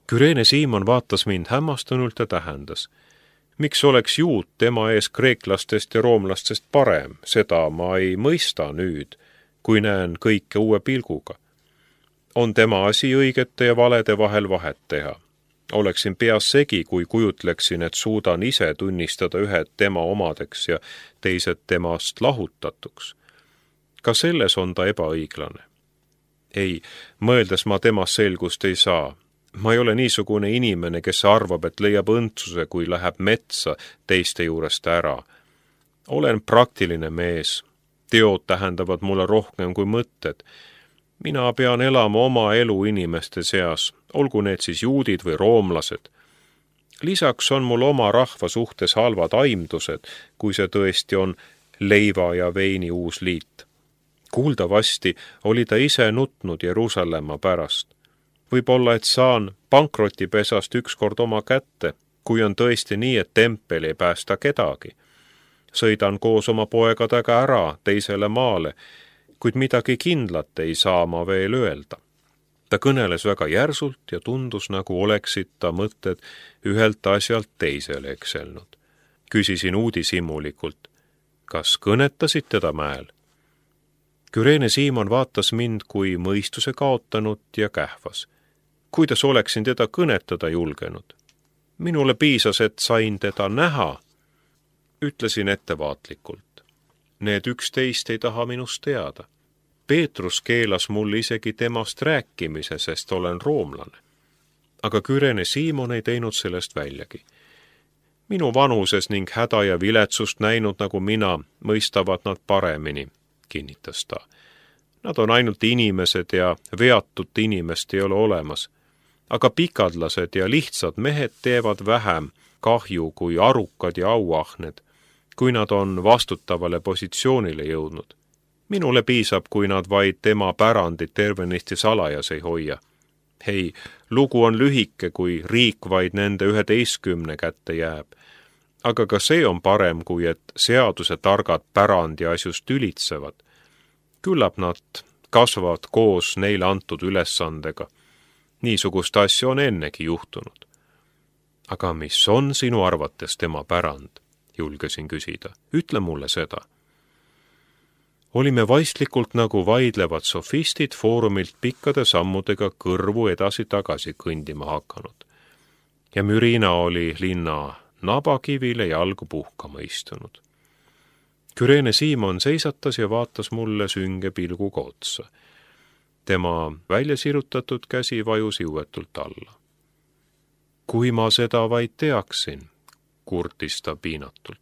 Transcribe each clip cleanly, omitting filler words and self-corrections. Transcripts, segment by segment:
Kyrene Siimon vaatas mind hämmastunult ja tähendas. Miks oleks juut tema ees kreeklastest ja roomlastest parem, seda ma ei mõista nüüd, kui näen kõike uue pilguga. On tema asi õigete ja valede vahel vahet teha. Oleksin peas segi, kui kujutleksin, et suudan ise tunnistada ühed tema omadeks ja teised temast lahutatuks. Ka selles on ta ebaõiglane. Ei, mõeldes ma temast selgust ei saa. Ma ei ole niisugune inimene, kes arvab, et leiab õndsuse, kui läheb metsa teiste juurest ära. Olen praktiline mees. Teod tähendavad mulle rohkem kui mõtted. Mina pean elama oma elu inimeste seas, olgu need siis juudid või roomlased. Lisaks on mul oma rahva suhtes halvad aimdused, kui see tõesti on leiva ja veini uus liit. Kuuldavasti oli ta ise nutnud Jeruusalemma pärast. Võib-olla, et saan pankrotipesast ükskord oma kätte, kui on tõesti nii, et tempel ei päästa kedagi. Sõidan koos oma poegadega ära teisele maale, kuid midagi kindlat ei saa ma veel öelda. Ta kõneles väga järsult ja tundus, nagu oleksid ta mõtted ühelt asjalt teisele ekselnud. Küsisin uudishimulikult, kas kõnetasid teda mäel? Kyrene Siimon vaatas mind kui mõistuse kaotanud ja kähvas. Kuidas oleksin teda kõnetada julgenud? Minule piisas, et sain teda näha. Ütlesin ettevaatlikult. Need 11 ei taha minust teada. Peetrus keelas mul isegi temast rääkimise, sest olen roomlane. Aga Kyrene Siimon ei teinud sellest väljagi. Minu vanuses ning häda ja viletsust näinud nagu mina, mõistavad nad paremini, kinnitas ta. Nad on ainult inimesed ja veatut inimest ei ole olemas. Aga pikadlased ja lihtsad mehed teevad vähem kahju kui arukad ja auahned, kui nad on vastutavale positsioonile jõudnud. Minule piisab, kui nad vaid tema pärandit tervenisti salajas ei hoia. Hei, lugu on lühike, kui riik vaid nende 11 kätte jääb. Aga ka see on parem, kui et seaduse targad pärandi asjust tülitsevad. Küllap nad kasvavad koos neile antud ülesandega. Niisugust asja on ennegi juhtunud. Aga mis on sinu arvates tema pärand? Julgesin küsida. Ütle mulle seda. Olime vaistlikult nagu vaidlevad sofistid foorumilt pikkade sammudega kõrvu edasi-tagasi kõndima hakanud. Ja Mürina oli linna nabakivile jalgu puhkama istunud. Kyrene Siimon seisatas ja vaatas mulle sünge pilguga otsa. Tema välja sirutatud käsi vajus jõuetult alla. Kui ma seda vaid teaksin, kurtis ta piinatult.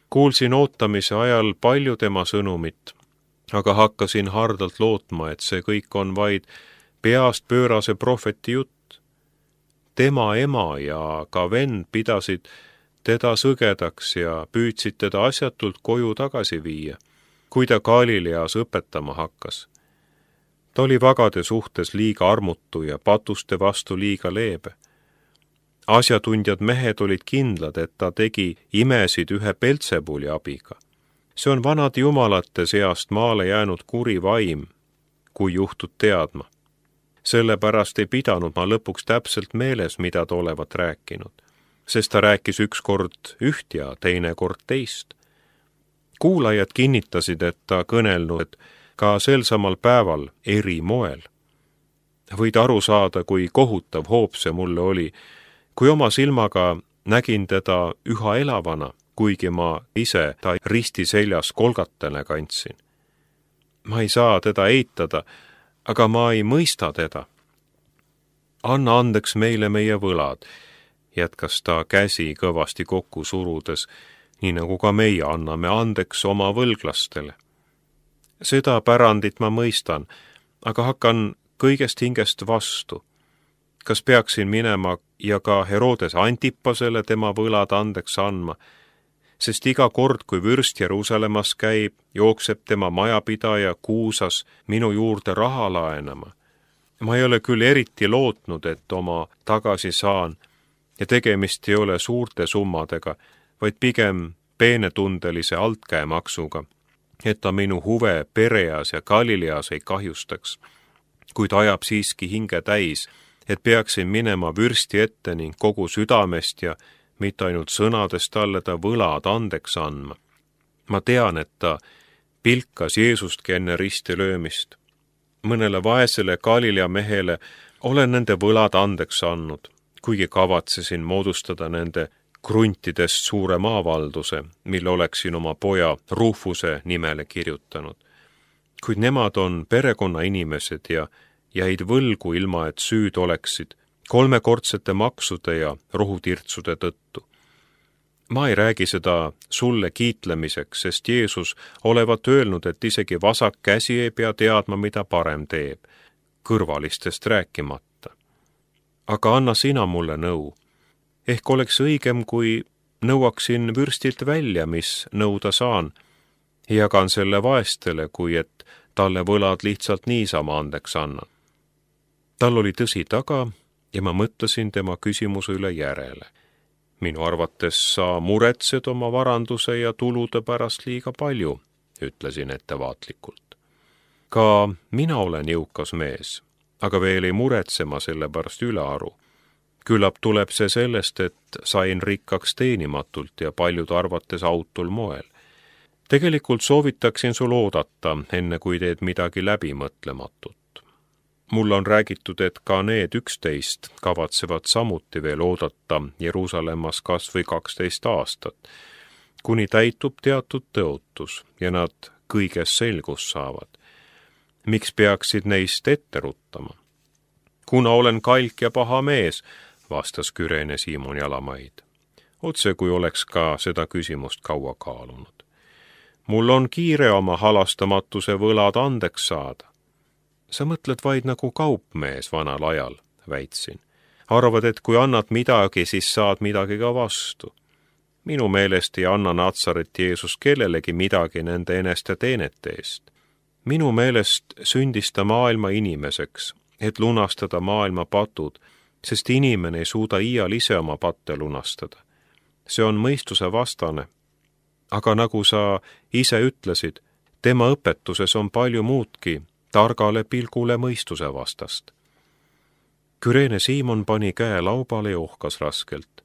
Kuulsin ootamise ajal palju tema sõnumit, aga hakkasin hardalt lootma, et see kõik on vaid peast pöörase prohveti jutt. Tema ema ja ka vend pidasid teda sõgedaks ja püüdsid teda asjatult koju tagasi viia, kui ta Galileas õpetama hakkas. Ta oli vagade suhtes liiga armutu ja patuste vastu liiga leebe. Asjatundjad mehed olid kindlad, et ta tegi imesid ühe Beltsebuli abiga. See on vanade jumalate seast maale jäänud kuri vaim, kui juhtud teadma. Sellepärast ei pidanud ma lõpuks täpselt meeles, mida ta olevat rääkinud, sest ta rääkis ükskord üht ja teine kord teist. Kuulajad kinnitasid, et ta kõnelnud ka sel samal päeval eri moel. Võid aru saada, kui kohutav hoop see mulle oli, kui oma silmaga nägin teda üha elavana, kuigi ma ise ta risti seljas kolgatena kandsin. Ma ei saa teda eitada, aga ma ei mõista teda. Anna andeks meile meie võlad, jätkas ta käsi kõvasti kokku surudes, nii nagu ka meie anname andeks oma võlglastele. Seda pärandit ma mõistan, aga hakkan kõigest hingest vastu. Kas peaksin minema ja ka Herodes Antipasele tema võlad andeks andma, sest iga kord, kui vürst Jeruusalemmas käib, jookseb tema majapidaja Kuusas minu juurde raha laenama. Ma ei ole küll eriti lootnud, et oma tagasi saan, ja tegemist ei ole suurte summadega, vaid pigem peenetundelise altkäemaksuga, et ta minu huve Pereas ja Galileas ei kahjustaks, kuid ajab siiski hinge täis, et peaksin minema vürsti ette ning kogu südamest ja mitte ainult sõnadest talle ta võlad andeks andma. Ma tean, et ta pilkas Jeesustki enne risti löömist. Mõnele vaesele Galilea mehele olen nende võlad andeks andnud, kuigi kavatsesin moodustada nende kruntidest suure maavalduse, mille oleksin oma poja Rufuse nimele kirjutanud. Kuid nemad on perekonnainimesed ja jäid võlgu ilma, et süüd oleksid 3-kordsete maksude ja rohutirtsude tõttu. Ma ei räägi seda sulle kiitlemiseks, sest Jeesus olevat öelnud, et isegi vasak käsi ei pea teadma, mida parem teeb, kõrvalistest rääkimata. Aga anna sina mulle nõu. Ehk oleks õigem, kui nõuaksin vürstilt välja, mis nõuda saan, ja jagan selle vaestele, kui et talle võlad lihtsalt niisama andeks annan. Tal oli tõsi taga ja ma mõtlesin tema küsimuse üle järele. Minu arvates sa muretsed oma varanduse ja tulude pärast liiga palju, ütlesin ettevaatlikult. Ka mina olen jõukas mees, aga veel ei muretse ma selle pärast ülearu. Küllap tuleb see sellest, et sain rikkaks teenimatult ja paljude arvates autul moel. Tegelikult soovitaksin sul oodata, enne kui teed midagi läbimõtlematut. Mulle on räägitud, et ka need 11 kavatsevad samuti veel oodata Jeruusalemmas kas või 12 aastat, kuni täitub teatud tõotus ja nad kõiges selgust saavad. Miks peaksid neist ette ruttama? Kuna olen kalk ja paha mees, vastas Küreene Siimon Jalamaid. Otse kui oleks ka seda küsimust kaua kaalunud. Mul on kiire oma halastamatuse võlad andeks saada. Sa mõtled vaid nagu kaupmees vanal ajal, väitsin. Arvad, et kui annad midagi, siis saad midagi ka vastu. Minu meelest ei anna Natsaret Jeesus kellelegi midagi nende eneste teenete eest. Minu meelest sündis ta maailma inimeseks, et lunastada maailma patud, sest inimene ei suuda iial ise oma patte lunastada. See on mõistuse vastane. Aga nagu sa ise ütlesid, tema õpetuses on palju muudki, targale pilgule mõistuse vastast. Küreene Siimon pani käe laubale ja ohkas raskelt.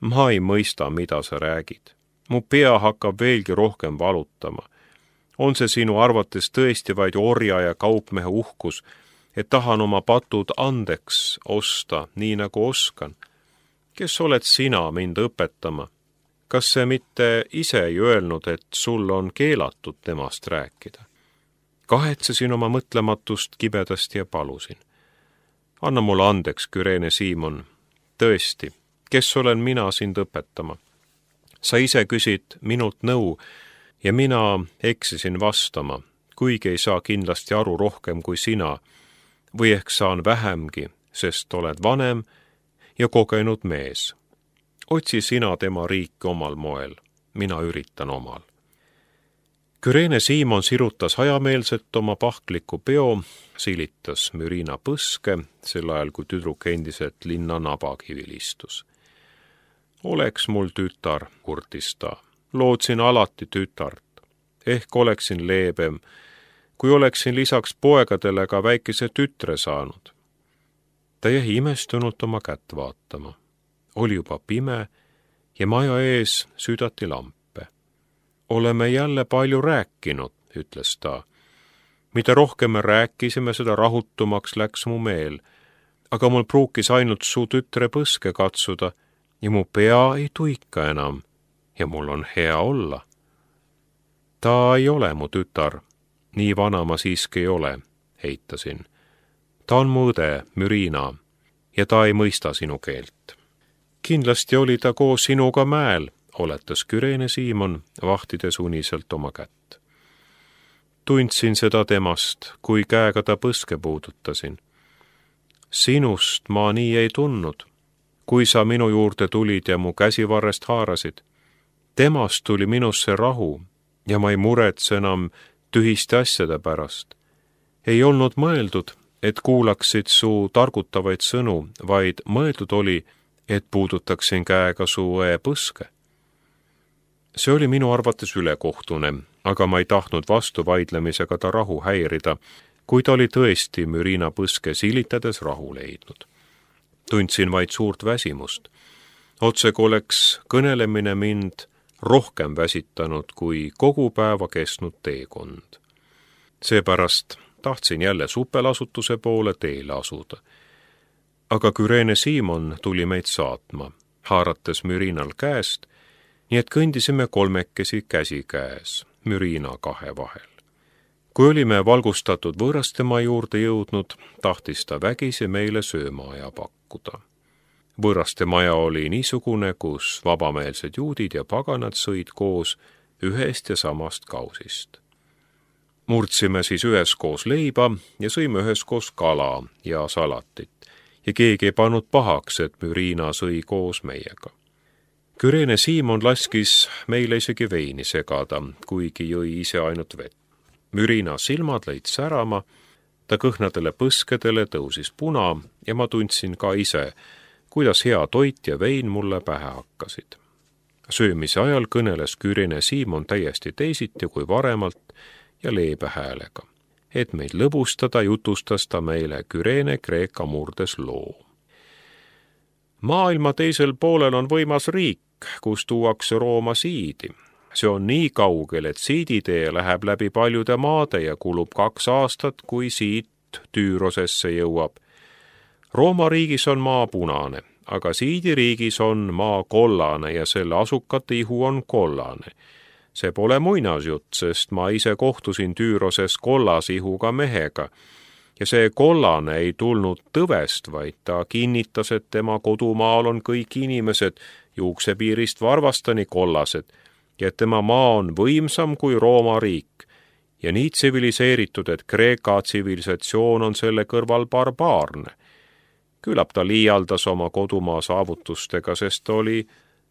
Ma ei mõista, mida sa räägid. Mu pea hakkab veelgi rohkem valutama. On see sinu arvates tõesti vaid orja ja kaupmehe uhkus, et tahan oma patud andeks osta, nii nagu oskan? Kes oled sina mind õpetama? Kas see mitte ise ei öelnud, et sul on keelatud temast rääkida? Kahetsesin oma mõtlematust kibedasti ja palusin. Anna mulle andeks, Küreene Siimon. Tõesti, kes olen mina sind õpetama? Sa ise küsid minult nõu ja mina eksisin vastama, kuigi ei saa kindlasti aru rohkem kui sina, või ehk saan vähemgi, sest oled vanem ja kogenud mees. Otsi sina tema riiki omal moel, mina üritan omal. Küreene Siimon sirutas hajameelselt oma pahkliku peo, silitas müriina põske, sel ajal kui tüdruk endiselt linna nabakivil istus. Oleks mul tütar, kurtis ta. Lootsin alati tütart. Ehk oleksin leebem, kui oleksin lisaks poegadele ka väikese tütre saanud. Ta jäi imestunult oma kätt vaatama. Oli juba pime ja maja ees südati lampe. Oleme jälle palju rääkinud, ütles ta. Mida rohkem me rääkisime, seda rahutumaks läks mu meel, aga mul pruukis ainult su tütre põske katsuda ja mu pea ei tuika enam ja mul on hea olla. Ta ei ole mu tütar, nii vana ma siiski ei ole, heitasin. Ta on mu õde, Müriina, ja ta ei mõista sinu keelt. Kindlasti oli ta koos sinuga mäel, oletas Küreene Siimon, vahtides uniselt oma kätt. Tundsin seda temast, kui käega ta põske puudutasin. Sinust ma nii ei tundnud, kui sa minu juurde tulid ja mu käsivarrest haarasid. Temast tuli minusse rahu ja ma ei muretse enam tühiste asjade pärast. Ei olnud mõeldud, et kuulaksid su targutavaid sõnu, vaid mõeldud oli, et puudutaksin käega su õe põske. See oli minu arvates ülekohtune, aga ma ei tahtnud vastuvaidlemisega ta rahu häirida, kui ta oli tõesti Müriina põske silitades rahu leidnud. Tundsin vaid suurt väsimust. Otsegu oleks kõnelemine mind rohkem väsitanud kui kogu päeva kestnud teekond. Seepärast tahtsin jälle supelasutuse poole teele asuda. Aga Küreene Siimon tuli meid saatma, haarates Mürinal käest, nii et kõndisime kolmekesi käsi käes, Mürina kahe vahel. Kui olime valgustatud võõrastemaa juurde jõudnud, tahtis ta vägisi meile söömaaja pakkuda. Võõrastemaja oli niisugune, kus vabameelsed juudid ja paganad sõid koos ühest ja samast kausist. Murdsime siis üheskoos leiba ja sõime üheskoos kala ja salatit ja keegi ei pannud pahaks, et Mürina sõi koos meiega. Küreene Siimon laskis meile isegi veini segada, kuigi jõi ise ainult vett. Mürina silmad lõid särama, ta kõhnadele põskedele tõusis puna ja ma tundsin ka ise, kuidas hea toit ja vein mulle pähe hakkasid. Söömise ajal kõneles Küreene Siimon täiesti teisiti kui varemalt ja leebe häälega. Et meid lõbustada, jutustas ta meile Küreene Kreeka murdes loo. Maailma teisel poolel on võimas riik, kus tuuakse Rooma siidi. See on nii kaugel, et siiditee läheb läbi paljude maade ja kulub 2 aastat, kui siit Tüürosesse jõuab. Rooma riigis on maa punane, aga siidiriigis on maa kollane ja selle asukate ihu on kollane. See pole muinasjutt, sest ma ise kohtusin Tüüroses kollasihuga mehega ja see kollane ei tulnud tõvest, vaid ta kinnitas, et tema kodumaal on kõik inimesed juuksepiirist varvastani kollased ja et tema maa on võimsam kui Rooma riik ja nii tsiviliseeritud, et Kreeka tsivilisatsioon on selle kõrval barbaarne. Küllap ta liialdas oma kodumaa saavutustega, sest ta oli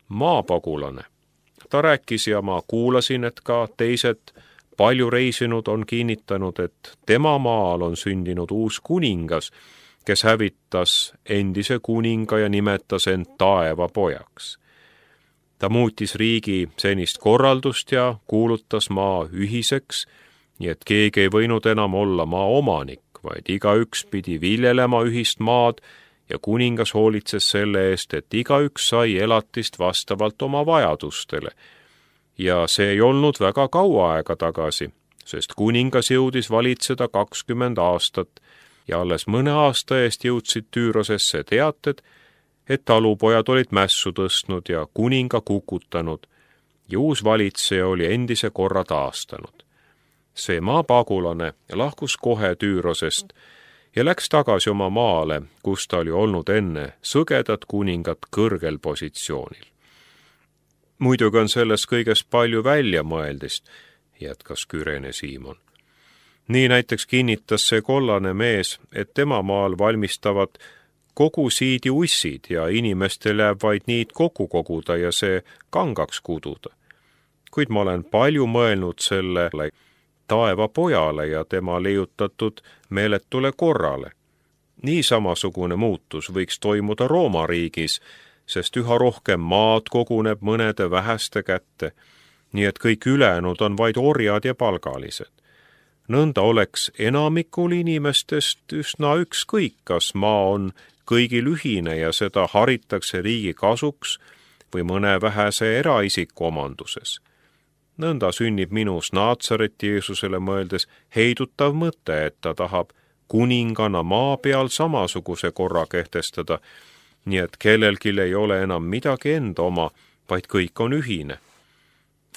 maapagulane. Ta rääkis ja ma kuulasin, et ka teised palju reisinud on kinnitanud, et tema maal on sündinud uus kuningas, kes hävitas endise kuninga ja nimetas end taevapojaks. Ta muutis riigi senist korraldust ja kuulutas maa ühiseks, nii et keegi ei võinud enam olla maa omanik, vaid igaüks pidi viljelema ühist maad ja kuningas hoolitses selle eest, et igaüks sai elatist vastavalt oma vajadustele. Ja see ei olnud väga kaua aega tagasi, sest kuningas jõudis valitseda 20 aastat ja alles mõne aasta eest jõudsid Tüürosesse teated, et talupojad olid mässu tõstnud ja kuninga kukutanud ja uus valitseja oli endise korra taastanud. See maapagulane lahkus kohe Tüürosest ja läks tagasi oma maale, kus ta oli olnud enne sõgedat kuningat kõrgel positsioonil. Muidugi on selles kõiges palju väljamõeldist, jätkas Küreene Siimon. Nii näiteks kinnitas see kollane mees, et tema maal valmistavad kogu siidi ussid ja inimestel jääb vaid niid kokku koguda ja see kangaks kududa. Kuid ma olen palju mõelnud sellele taevapojale ja tema leiutatud meeletule korrale. Nii samasugune muutus võiks toimuda Rooma riigis, sest üha rohkem maad koguneb mõnede väheste kätte, nii et kõik ülejäänud on vaid orjad ja palgalised. Nõnda oleks enamikul inimestest üsna ükskõik, kas maa on kõigil ühine ja seda haritakse riigi kasuks või mõne vähese eraisiku omanduses. Nõnda sünnib minus Naatsareti Jeesusele mõeldes heidutav mõte, et ta tahab kuningana maa peal samasuguse korra kehtestada, nii et kellelgi ei ole enam midagi enda oma, vaid kõik on ühine.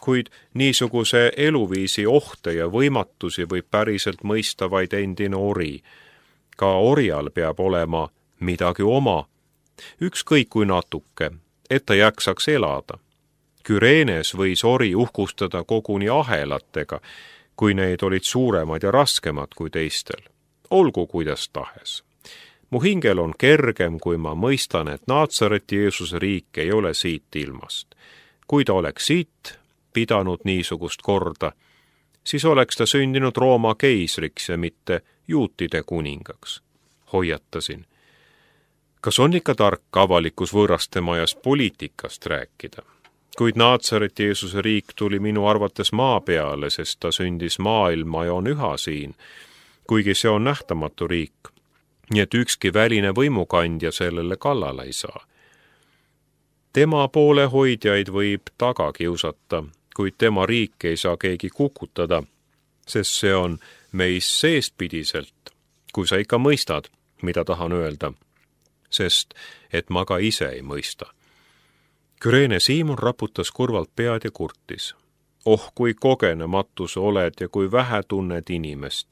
Kuid niisuguse eluviisi ohte ja võimatusi võib päriselt mõista vaid endine ori. Ka orjal peab olema midagi oma, ükskõik kui natuke, et ta jaksaks elada. Küreenes võis ori uhkustada koguni ahelatega, kui neid olid suuremad ja raskemad kui teistel. Olgu kuidas tahes. Mu hingel on kergem, kui ma mõistan, et Naatsareti Jeesuse riik ei ole siit ilmast. Kui ta oleks siit pidanud niisugust korda, siis oleks ta sündinud Rooma keisriks ja mitte juutide kuningaks. Hoiatasin. Kas on ikka tark avalikus võõrastemajas poliitikast rääkida? Kuid Naatsareti Jeesuse riik tuli minu arvates maa peale, sest ta sündis maailma ja on üha siin, kuigi see on nähtamatu riik. nii et ükski väline võimukandja sellele kallale ei saa. Tema poolehoidjaid võib taga kiusata, kuid tema riik ei saa keegi kukutada, sest see on meis seestpidiselt, kui sa ikka mõistad, mida tahan öelda, sest et ma ka ise ei mõista. Küreene Siimon raputas kurvalt pead ja kurtis. Oh, kui kogenematu sa oled ja kui vähe tunned inimest.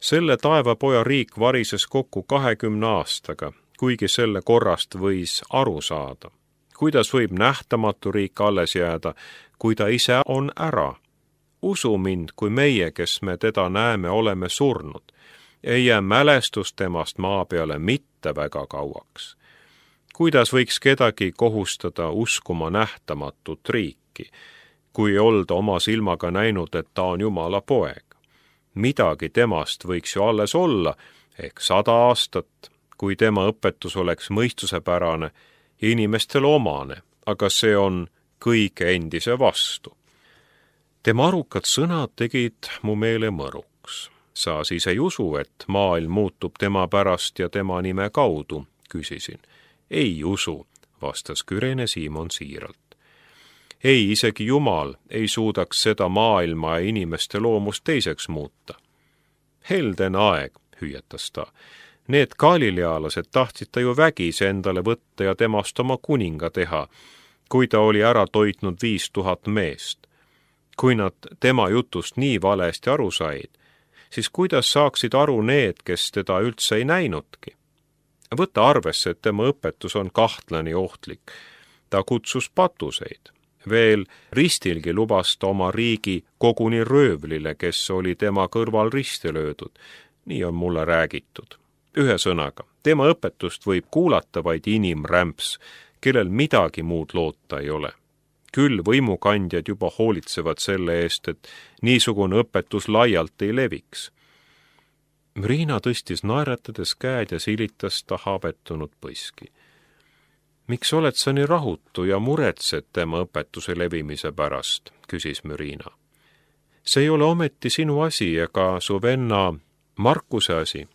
Selle taevapoja riik varises kokku 20 aastaga, kuigi selle korrast võis aru saada. Kuidas võib nähtamatu riik alles jääda, kui ta ise on ära? Usu mind, kui meie, kes me teda näeme, oleme surnud. Ei jää mälestus temast maa peale mitte väga kauaks. Kuidas võiks kedagi kohustada uskuma nähtamatut riiki, kui olda oma silmaga näinud, et ta on Jumala poeg? Midagi temast võiks ju alles olla, ehk 100 aastat, kui tema õpetus oleks mõistusepärane ja inimestele omane, aga see on kõige endise vastu. Tema arukad sõnad tegid mu meele mõruks. Sa siis ei usu, et maailm muutub tema pärast ja tema nime kaudu, küsisin. Ei usu, vastas Küreene Siimon siiralt. Ei, isegi Jumal ei suudaks seda maailma ja inimeste loomust teiseks muuta. Helden aeg, hüüatas ta. Need galilealased tahtsid ta ju vägisi endale võtta ja temast oma kuninga teha, kui ta oli ära toitnud 5000 meest. Kui nad tema jutust nii valesti aru said, siis kuidas saaksid aru need, kes teda üldse ei näinudki? Võta arvesse, et tema õpetus on kahtlane ja ohtlik. Ta kutsus patuseid. Veel ristilgi lubas ta oma riigi koguni röövlile, kes oli tema kõrval risti löödud. Nii on mulle räägitud. Ühesõnaga, tema õpetust võib kuulata vaid inimrämps, kellel midagi muud loota ei ole. Küll võimukandjad juba hoolitsevad selle eest, et niisugune õpetus laialt ei leviks. Riina tõstis naeratades käed ja silitas ta habetunud põiski. Miks oled sa nii rahutu ja muretsed tema õpetuse levimise pärast, küsis Riina. See ei ole ometi sinu asi ega su venna Markuse asi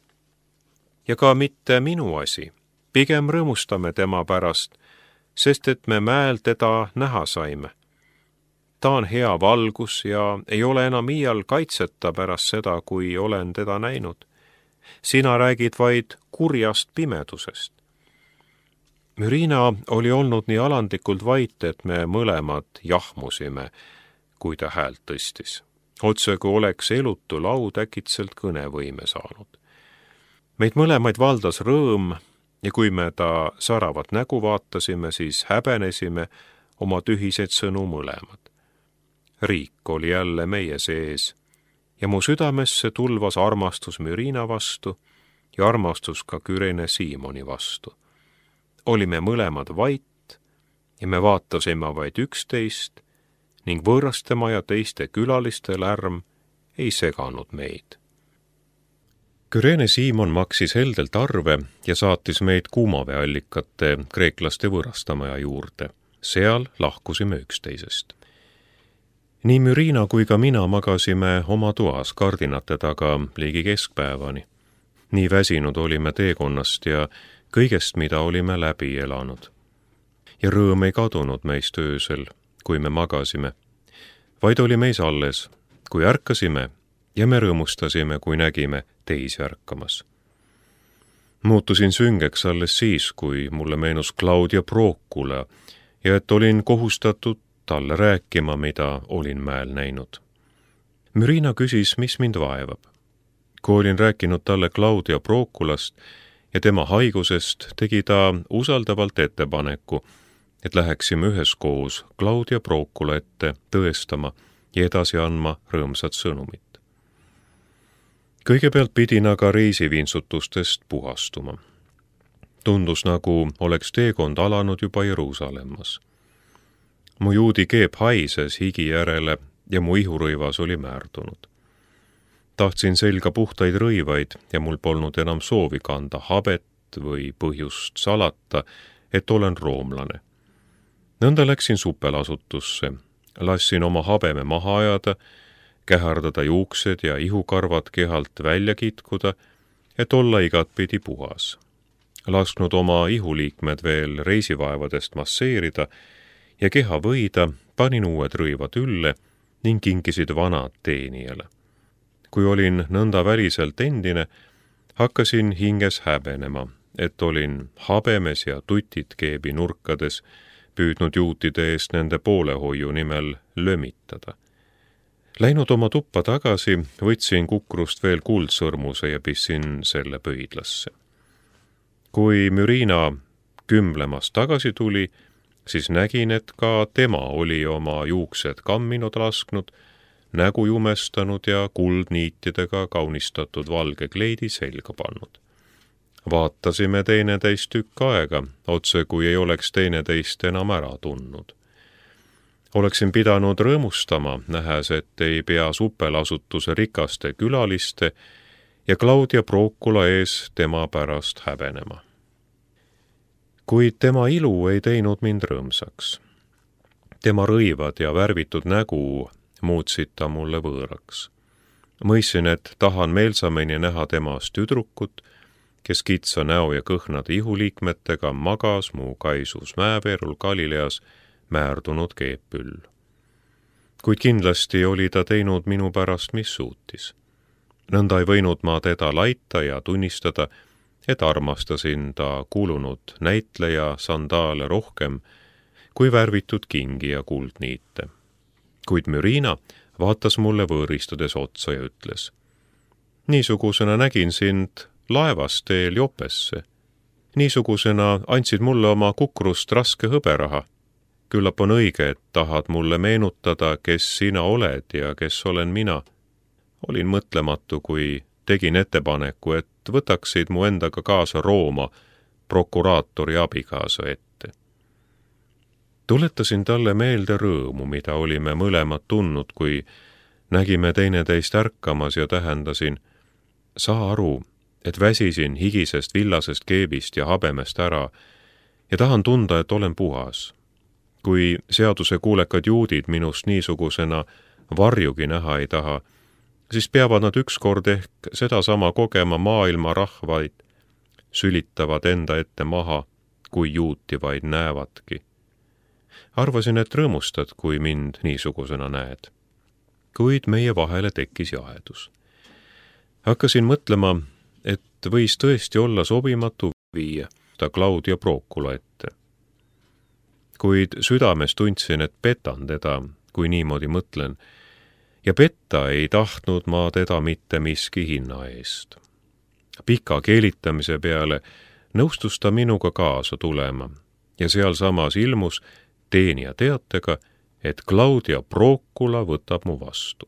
ja ka mitte minu asi. Pigem rõõmustame tema pärast, sest et me mäel teda näha saime. Ta on hea valgus ja ei ole enam iial kaitseta pärast seda, kui olen teda näinud. Sina räägid vaid kurjast pimedusest. Riina oli olnud nii alandlikult vait, et me mõlemad jahmusime, kui ta häält tõstis. Otse kui oleks elutu laud äkitselt kõnevõime saanud. Meid mõlemaid valdas rõõm ja kui me ta säravat nägu vaatasime, siis häbenesime oma tühiseid sõnu mõlemad. Riik oli jälle meie sees ja mu südamesse tulvas armastus Riina vastu ja armastus ka Küreene Siimoni vastu. Olime mõlemad vait ja me vaatasime vaid üksteist ning võõrastema ja teiste külaliste lärm ei seganud meid. Küreene Siimon maksis heldelt arve ja saatis meid kuumaveeallikate kreeklaste võõrastamaja juurde. Seal lahkusime üksteisest. Nii Riina kui ka mina magasime oma toas kardinate taga ligi keskpäevani. Nii väsinud olime teekonnast ja kõigest, mida olime läbi elanud. Ja rõõm ei kadunud meist öösel, kui me magasime, vaid oli meis alles, kui ärkasime ja me rõõmustasime, kui nägime teisi ärkamas. Muutusin süngeks alles siis, kui mulle meenus Claudia Procula ja et olin kohustatud talle rääkima, mida olin mäel näinud. Riina küsis, mis mind vaevab. Kui olin rääkinud talle Claudia Proculast ja tema haigusest, tegi ta usaldavalt ettepaneku, et läheksime üheskoos Claudia Procula ette tõestama ja edasi andma rõõmsat sõnumit. Kõigepealt pidin aga reisivintsutustest puhastuma. Tundus, nagu oleks teekond alanud juba Jeruusalemmas. Mu juudi keep haises higi järele ja mu ihurõivas oli määrdunud. Tahtsin selga puhtaid rõivaid ja mul polnud enam soovi kanda habet või põhjust salata, et olen roomlane. Nõnda läksin supelasutusse, lassin oma habeme maha ajada, kähardada juuksed ja ihukarvad kehalt välja kitkuda et olla igatpidi puhas. Lasknud oma ihuliikmed veel reisivaevadest masseerida ja keha võida, panin uued rõivad ülle ning kinkisid vanad teenijale. Kui olin nõnda väliselt endine, hakkasin hinges häbenema, et olin habemes ja tutid keebi nurkades, püüdnud juutide eest nende poolehoiu nimel lömitada. Läinud oma tuppa tagasi, võtsin kukrust veel kuldsõrmuse ja pissin selle pöidlasse. Kui Mürina kümlemast tagasi tuli, siis nägin, et ka tema oli oma juuksed kamminud lasknud, nägu jumestanud ja kuldniitidega kaunistatud valge kleidi selga pannud. Vaatasime teineteist tükk aega, otse kui ei oleks teineteist enam ära tundnud. Oleksin pidanud rõõmustama, nähes, et ei pea supelasutuse rikaste külaliste ja Claudia Procula ees tema pärast häbenema. Kuid tema ilu ei teinud mind rõõmsaks. Tema rõivad ja värvitud nägu muutsid ta mulle võõraks. Mõistsin, et tahan meelsamini näha temast tüdrukut, kes kitsa näo ja kõhnade ihuliikmetega magas mu kaisus mäeveerul Galileas määrdunud keepüll. Kuid kindlasti oli ta teinud minu pärast, mis suutis. Nõnda ei võinud ma teda laita ja tunnistada, et armastasin ta kuulunud näitleja sandaale rohkem kui värvitud kingi ja kuldniite. Kuid Mürina vaatas mulle võõristudes otsa ja ütles: niisugusena nägin sind laevas teel Jopesse. Niisugusena andsid mulle oma kukrust raske hõberaha. Küllap on õige, et tahad mulle meenutada, kes sina oled ja kes olen mina. Olin mõtlematu, kui tegin ettepaneku, et võtaksid mu endaga kaasa Rooma prokuraatori abikaasa ette. Tuletasin talle meelde rõõmu, mida olime mõlemad tundnud, kui nägime teineteist ärkamas ja tähendasin: saa aru, et väsisin higisest villasest keebist ja habemest ära ja tahan tunda, et olen puhas. Kui seaduse kuulekad juudid minust niisugusena varjugi näha ei taha, siis peavad nad ükskord ehk sedasama kogema maailma rahvaid, sülitavad enda ette maha, kui juuti vaid näevadki. Arvasin, et rõõmustad, kui mind niisugusena näed. Kuid meie vahele tekkis jahedus. Hakkasin mõtlema, et võis tõesti olla sobimatu viia ta Claudia Procula ette. Kuid südames tundsin, et petan teda, kui niimoodi mõtlen, ja petta ei tahtnud ma teda mitte miski hinna eest. Pika keelitamise peale nõustus ta minuga kaasa tulema ja sealsamas ilmus teenija teatega, et Claudia Procula võtab mu vastu.